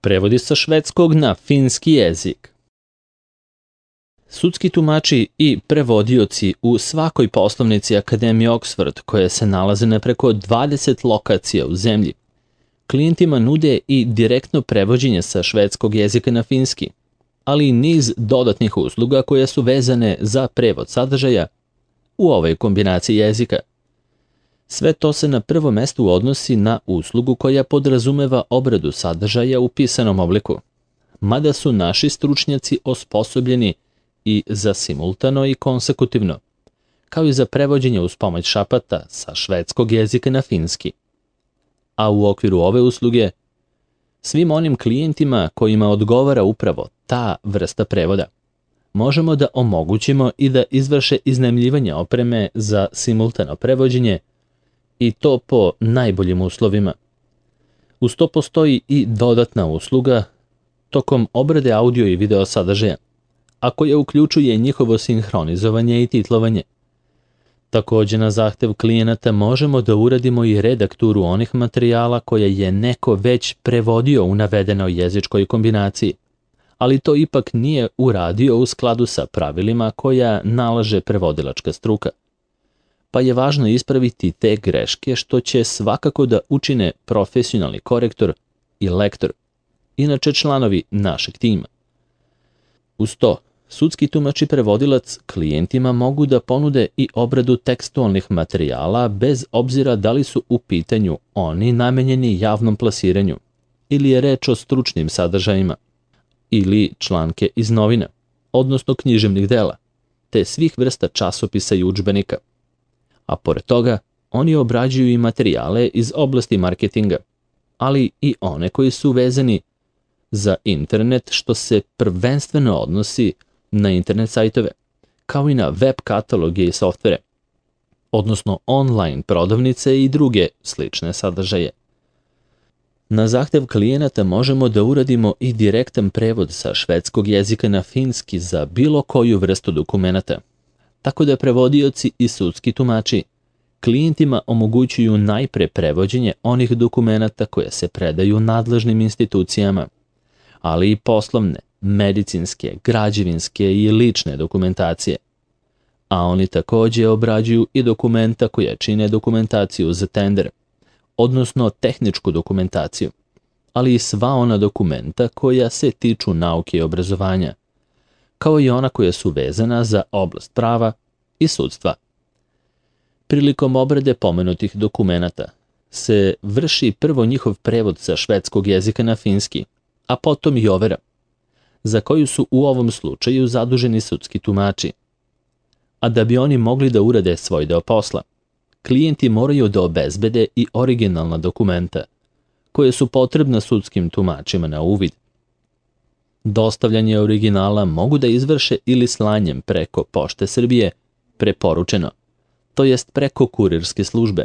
Prevodi sa švedskog na finski jezik. Sudski tumači i prevodioci u svakoj poslovnici Akademije Oxford, koje se nalaze na preko 20 lokacija u zemlji, klijentima nude i direktno prevođenje sa švedskog jezika na finski, ali i niz dodatnih usluga koje su vezane za prevod sadržaja u ovoj kombinaciji jezika. Sve to se na prvo mesto odnosi na uslugu koja podrazumeva obradu sadržaja u pisanom obliku, mada su naši stručnjaci osposobljeni i za simultano i konsekutivno, kao i za prevođenje uz pomoć šapata sa švedskog jezika na finski. A u okviru ove usluge, svim onim klijentima kojima odgovara upravo ta vrsta prevoda, možemo da omogućimo i da izvrše iznajmljivanje opreme za simultano prevođenje i to po najboljim uslovima. Uz to postoji i dodatna usluga tokom obrade audio i video sadržaja, a koja uključuje njihovo sinhronizovanje i titlovanje. Također na zahtev klijenata možemo da uradimo i redakturu onih materijala koje je neko već prevodio u navedenoj jezičkoj kombinaciji, ali to ipak nije uradio u skladu sa pravilima koja nalaže prevodilačka struka. Pa je važno ispraviti te greške što će svakako da učine profesionalni korektor i lektor, inače članovi našeg tima. Uz to, sudski tumač i prevodilac klijentima mogu da ponude i obradu tekstualnih materijala bez obzira da li su u pitanju oni namenjeni javnom plasiranju ili je reč o stručnim sadržajima ili članke iz novina, odnosno književnih dela, te svih vrsta časopisa i udžbenika. A pored toga, oni obrađuju i materijale iz oblasti marketinga, ali i one koji su vezani za internet, što se prvenstveno odnosi na internet sajtove, kao i na web kataloge i softvere, odnosno online prodavnice i druge slične sadržaje. Na zahtev klijenata možemo da uradimo i direktan prevod sa švedskog jezika na finski za bilo koju vrstu dokumenata, tako da prevodioci i sudski tumači klijentima omogućuju najpre prevođenje onih dokumenata koje se predaju nadležnim institucijama, ali i poslovne, medicinske, građevinske i lične dokumentacije. A oni također obrađuju i dokumenta koje čine dokumentaciju za tender, odnosno tehničku dokumentaciju, ali i sva ona dokumenta koja se tiču nauke i obrazovanja, kao i ona koja su vezana za oblast prava i sudstva. Prilikom obrade pomenutih dokumenata se vrši prvo njihov prevod sa švedskog jezika na finski, a potom i overa, za koju su u ovom slučaju zaduženi sudski tumači. A da bi oni mogli da urade svoj deo posla, klijenti moraju da obezbede i originalna dokumenta, koje su potrebna sudskim tumačima na uvid. Dostavljanje originala mogu da izvrše ili slanjem preko Pošte Srbije, preporučeno, to jest preko kurirske službe,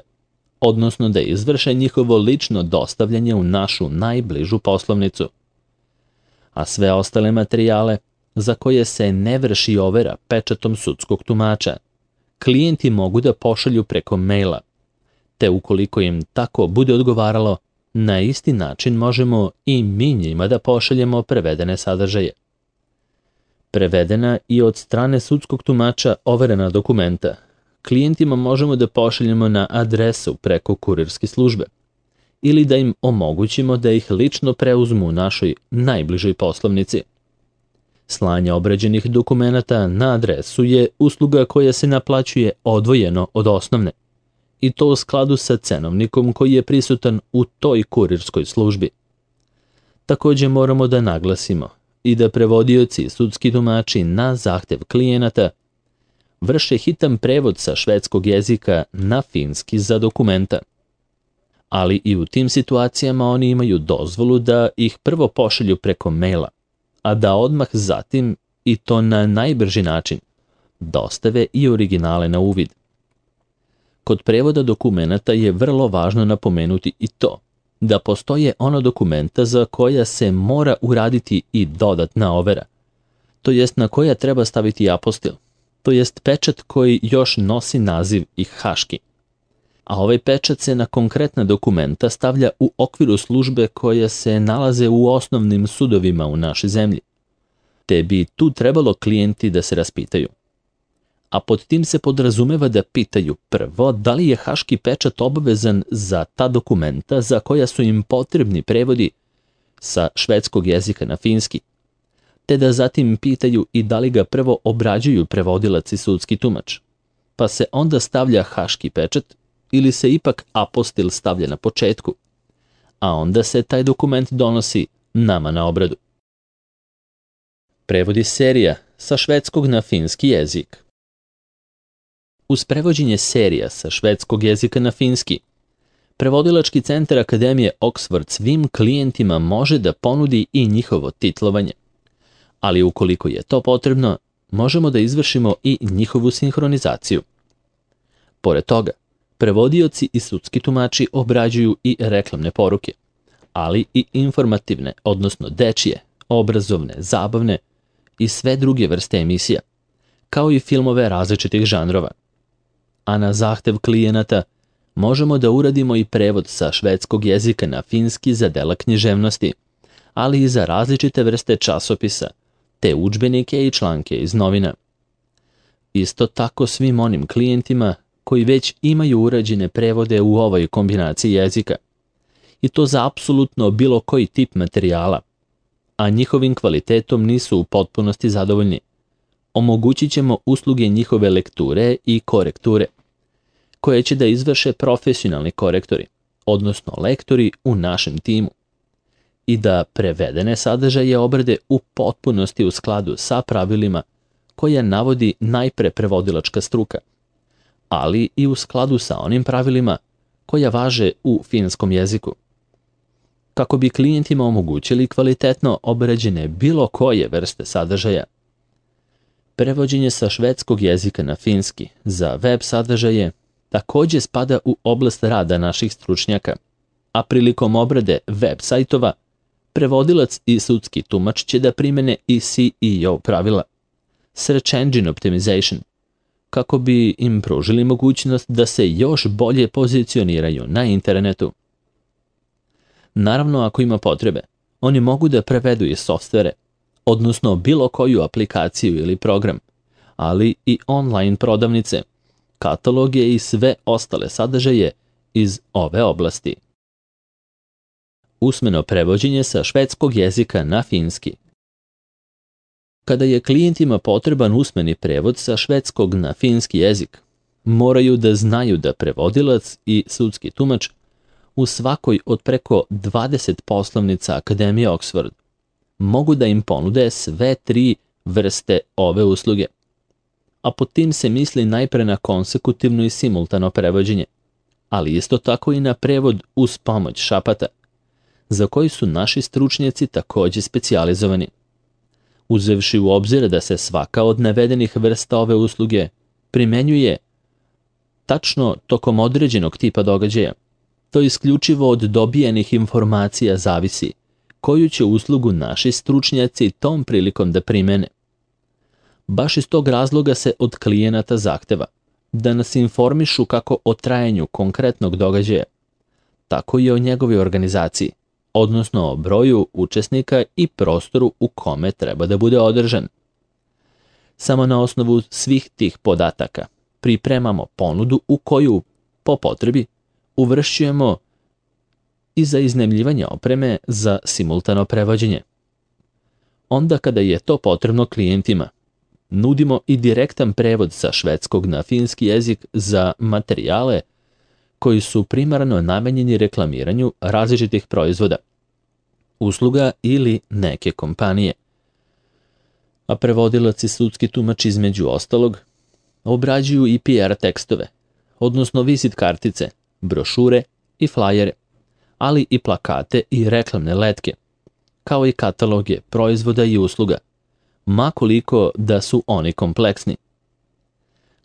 odnosno da izvrše njihovo lično dostavljanje u našu najbližu poslovnicu. A sve ostale materijale, za koje se ne vrši overa pečatom sudskog tumača, klijenti mogu da pošalju preko maila, te ukoliko im tako bude odgovaralo, na isti način možemo i mi njima da pošaljemo prevedene sadržaje. Prevedena i od strane sudskog tumača overena dokumenta klijentima možemo da pošaljemo na adresu preko kurirske službe ili da im omogućimo da ih lično preuzmu u našoj najbližoj poslovnici. Slanje obrađenih dokumenata na adresu je usluga koja se naplaćuje odvojeno od osnovne, i to u skladu sa cenovnikom koji je prisutan u toj kurirskoj službi. Također moramo da naglasimo i da prevodioci i sudski tumači na zahtev klijenata vrše hitan prevod sa švedskog jezika na finski za dokumenta. Ali i u tim situacijama oni imaju dozvolu da ih prvo pošalju preko maila, a da odmah zatim, i to na najbrži način, dostave i originale na uvid. Kod prevoda dokumenata je vrlo važno napomenuti i to, da postoje ono dokumenta za koja se mora uraditi i dodatna overa, to jest na koja treba staviti apostil, to jest pečat koji još nosi naziv i haški. a ovaj pečat se na konkretna dokumenta stavlja u okviru službe koje se nalaze u osnovnim sudovima u našoj zemlji. Te bi tu trebalo klijenti da se raspitaju. A pod tim se podrazumeva da pitaju prvo da li je haški pečat obavezan za ta dokumenta za koja su im potrebni prevodi sa švedskog jezika na finski, te da zatim pitaju i da li ga prvo obrađuju prevodilac i sudski tumač, pa se onda stavlja haški pečat ili se ipak apostil stavlja na početku, a onda se taj dokument donosi nama na obradu. Prevodi serija sa švedskog na finski jezik. Uz prevođenje serija sa švedskog jezika na finski, Prevodilački centar Akademije Oxford svim klijentima može da ponudi i njihovo titlovanje, ali ukoliko je to potrebno, možemo da izvršimo i njihovu sinhronizaciju. Pored toga, prevodioci i sudski tumači obrađuju i reklamne poruke, ali i informativne, odnosno dečije, obrazovne, zabavne i sve druge vrste emisija, kao i filmove različitih žanrova. A na zahtev klijenata možemo da uradimo i prevod sa švedskog jezika na finski za dela književnosti, ali i za različite vrste časopisa, te udžbenike i članke iz novina. Isto tako svim onim klijentima koji već imaju urađene prevode u ovoj kombinaciji jezika, i to za apsolutno bilo koji tip materijala, a njihovim kvalitetom nisu u potpunosti zadovoljni. Omogućit ćemo usluge njihove lekture i korekture, koje će da izvrše profesionalni korektori, odnosno lektori u našem timu, i da prevedene sadržaje obrade u potpunosti u skladu sa pravilima koja navodi najpre prevodilačka struka, ali i u skladu sa onim pravilima koja važe u finskom jeziku, kako bi klijentima omogućili kvalitetno obrađene bilo koje vrste sadržaja. Prevođenje sa švedskog jezika na finski za web sadržaje također spada u oblast rada naših stručnjaka, a prilikom obrade web sajtova, prevodilac i sudski tumač će da primene i SEO pravila, Search Engine Optimization, kako bi im pružili mogućnost da se još bolje pozicioniraju na internetu. Naravno, ako ima potrebe, oni mogu da prevedu i softvere, odnosno bilo koju aplikaciju ili program, ali i online prodavnice, kataloge i sve ostale sadržaje iz ove oblasti. Usmeno prevođenje sa švedskog jezika na finski. Kada je klijentima potreban usmeni prevod sa švedskog na finski jezik, moraju da znaju da prevodilac i sudski tumač u svakoj od preko 20 poslovnica Akademije Oxford mogu da im ponude sve 3 vrste ove usluge, a pod tim se misli najpre na konsekutivno i simultano prevođenje, ali isto tako i na prevod uz pomoć šapata, za koji su naši stručnjaci također specijalizovani. Uzevši u obzir da se svaka od navedenih vrsta ove usluge primenjuje tačno tokom određenog tipa događaja, to isključivo od dobijenih informacija zavisi koju će uslugu naši stručnjaci tom prilikom da primene. Baš iz tog razloga se od klijenata zahteva da nas informišu kako o trajanju konkretnog događaja, tako i o njegovoj organizaciji, odnosno o broju učesnika i prostoru u kome treba da bude održan. Samo na osnovu svih tih podataka pripremamo ponudu u koju, po potrebi, uvršćujemo i za iznajmljivanje opreme za simultano prevođenje. Onda kada je to potrebno klijentima, nudimo i direktan prevod sa švedskog na finski jezik za materijale koji su primarno namenjeni reklamiranju različitih proizvoda, usluga ili neke kompanije. A prevodilac i sudski tumač između ostalog obrađuju i PR tekstove, odnosno vizit kartice, brošure i flajere, ali i plakate i reklamne letke, kao i kataloge proizvoda i usluga, ma koliko da su oni kompleksni.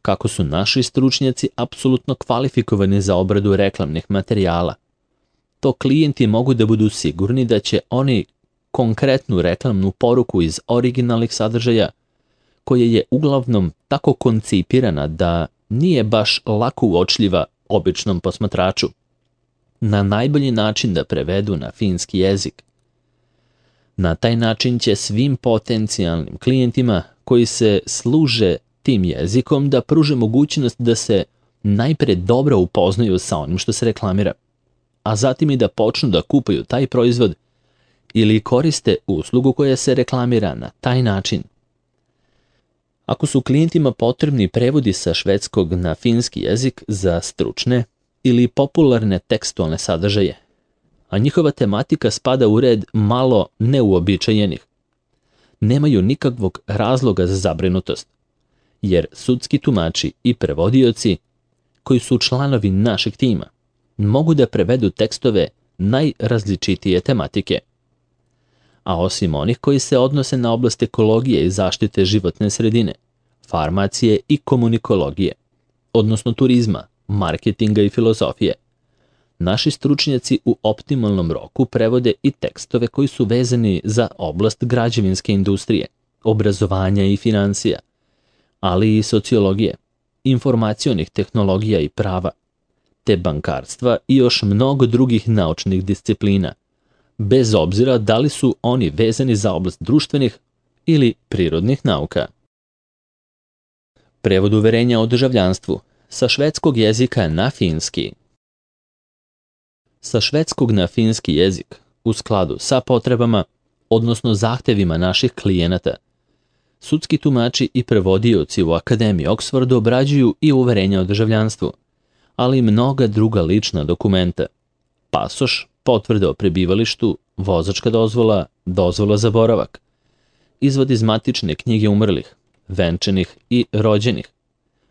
Kako su naši stručnjaci apsolutno kvalifikovani za obradu reklamnih materijala, to klijenti mogu da budu sigurni da će oni konkretnu reklamnu poruku iz originalnih sadržaja, koja je uglavnom tako koncipirana da nije baš lako uočljiva običnom posmatraču, na najbolji način da prevedu na finski jezik. Na taj način će svim potencijalnim klijentima koji se služe tim jezikom da pruže mogućnost da se najpre dobro upoznaju sa onim što se reklamira, a zatim i da počnu da kupuju taj proizvod ili koriste uslugu koja se reklamira na taj način. Ako su klijentima potrebni prevodi sa švedskog na finski jezik za stručne ili popularne tekstualne sadržaje, a njihova tematika spada u red malo neuobičajenih, nemaju nikakvog razloga za zabrinutost, jer sudski tumači i prevodioci, koji su članovi našeg tima, mogu da prevedu tekstove najrazličitije tematike. A osim onih koji se odnose na oblast ekologije i zaštite životne sredine, farmacije i komunikologije, odnosno turizma, marketinga i filozofije, naši stručnjaci u optimalnom roku prevode i tekstove koji su vezani za oblast građevinske industrije, obrazovanja i financija, ali i sociologije, informacionih tehnologija i prava, te bankarstva i još mnogo drugih naučnih disciplina, bez obzira da li su oni vezani za oblast društvenih ili prirodnih nauka. Prevod uverenja o državljanstvu sa švedskog jezika na finski. Sa švedskog na finski jezik, u skladu sa potrebama, odnosno zahtevima naših klijenata, sudski tumači i prevodioci u Akademiji Oxfordu obrađuju i uverenja o državljanstvu, ali i mnoga druga lična dokumenta, pasoš, potvrda o prebivalištu, vozačka dozvola, dozvola za boravak, izvod iz matične knjige umrlih, venčanih i rođenih,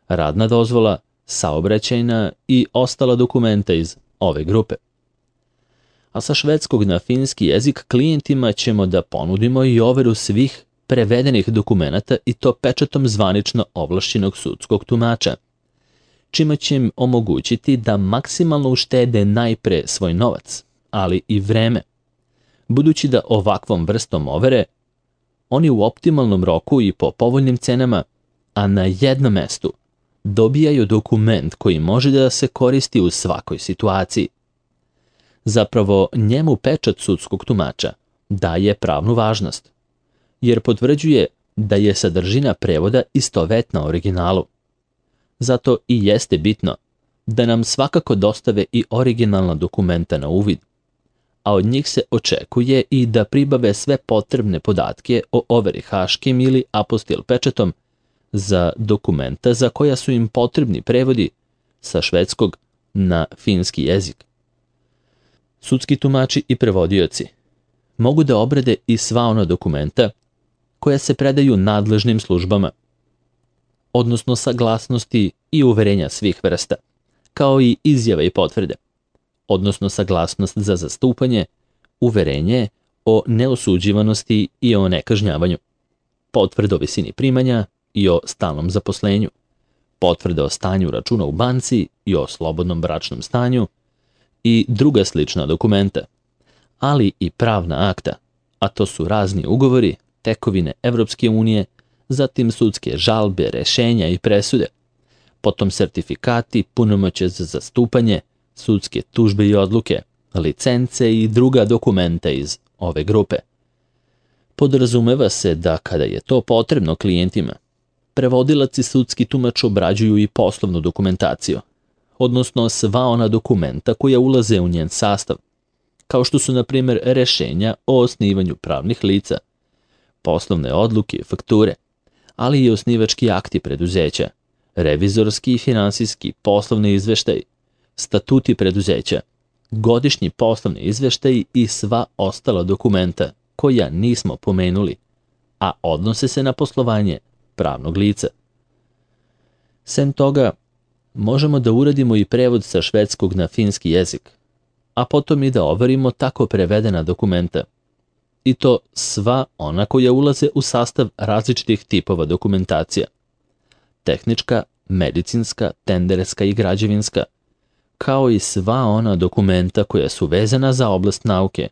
radna dozvola, saobraćajna i ostala dokumenta iz ove grupe. A sa švedskog na finski jezik klijentima ćemo da ponudimo i overu svih prevedenih dokumenata i to pečatom zvanično ovlašćenog sudskog tumača, čime će im omogućiti da maksimalno uštede najpre svoj novac, ali i vreme, budući da ovakvom vrstom overe oni u optimalnom roku i po povoljnim cenama, a na jednom mestu, dobijaju dokument koji može da se koristi u svakoj situaciji. Zapravo, njemu pečat sudskog tumača daje pravnu važnost, jer potvrđuje da je sadržina prevoda istovetna originalu. Zato i jeste bitno da nam svakako dostave i originalna dokumenta na uvid, a od njih se očekuje i da pribave sve potrebne podatke o overi haškim ili apostil pečatom za dokumenta za koja su im potrebni prevodi sa švedskog na finski jezik. Sudski tumači i prevodioci mogu da obrade i sva ona dokumenta koja se predaju nadležnim službama, odnosno saglasnosti i uverenja svih vrsta, kao i izjave i potvrde, odnosno saglasnost za zastupanje, uverenje o neosuđivanosti i o nekažnjavanju, potvrda o visini primanja i o stalnom zaposlenju, potvrda o stanju računa u banci i o slobodnom bračnom stanju i druga slična dokumenta, ali i pravna akta, a to su razni ugovori, tekovine Evropske unije, zatim sudske žalbe, rešenja i presude, potom sertifikati, punomoćje za zastupanje, sudske tužbe i odluke, licence i druga dokumenta iz ove grupe. Podrazumeva se da kada je to potrebno klijentima, prevodilac i sudski tumač obrađuju i poslovnu dokumentaciju, odnosno sva ona dokumenta koja ulaze u njen sastav, kao što su, na primjer, rešenja o osnivanju pravnih lica, poslovne odluke i fakture, ali i osnivački akti preduzeća, revizorski i finansijski poslovni izveštaj, statuti preduzeća, godišnji poslovni izveštaj i sva ostala dokumenta koja nismo pomenuli, a odnose se na poslovanje pravnog lica. Sem toga, možemo da uradimo i prevod sa švedskog na finski jezik, a potom i da overimo tako prevedena dokumenta, i to sva ona koja ulaze u sastav različitih tipova dokumentacija, tehnička, medicinska, tenderska i građevinska, kao i sva ona dokumenta koja su vezana za oblast nauke,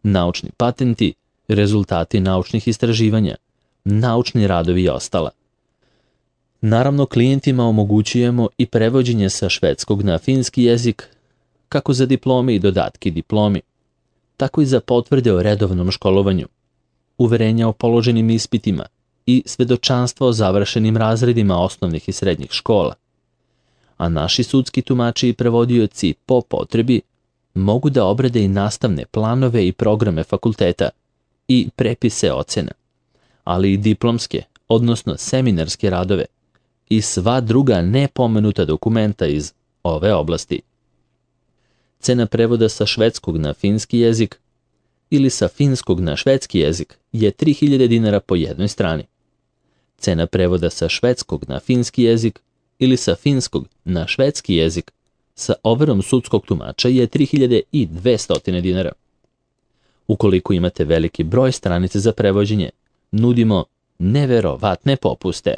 naučni patenti, rezultati naučnih istraživanja, naučni radovi i ostala. Naravno, klijentima omogućujemo i prevođenje sa švedskog na finski jezik, kako za diplome i dodatke diplomi, tako i za potvrde o redovnom školovanju, uverenja o položenim ispitima i svedočanstva o završenim razredima osnovnih i srednjih škola. A naši sudski tumači i prevodioci po potrebi mogu da obrade i nastavne planove i programe fakulteta i prepise ocena, ali i diplomske, odnosno seminarske radove i sva druga nepomenuta dokumenta iz ove oblasti. Cena prevoda sa švedskog na finski jezik ili sa finskog na švedski jezik je 3000 dinara po jednoj strani. Cena prevoda sa švedskog na finski jezik ili sa finskog na švedski jezik sa overom sudskog tumača je 3200 dinara. Ukoliko imate veliki broj stranica za prevođenje, nudimo neverovatne popuste.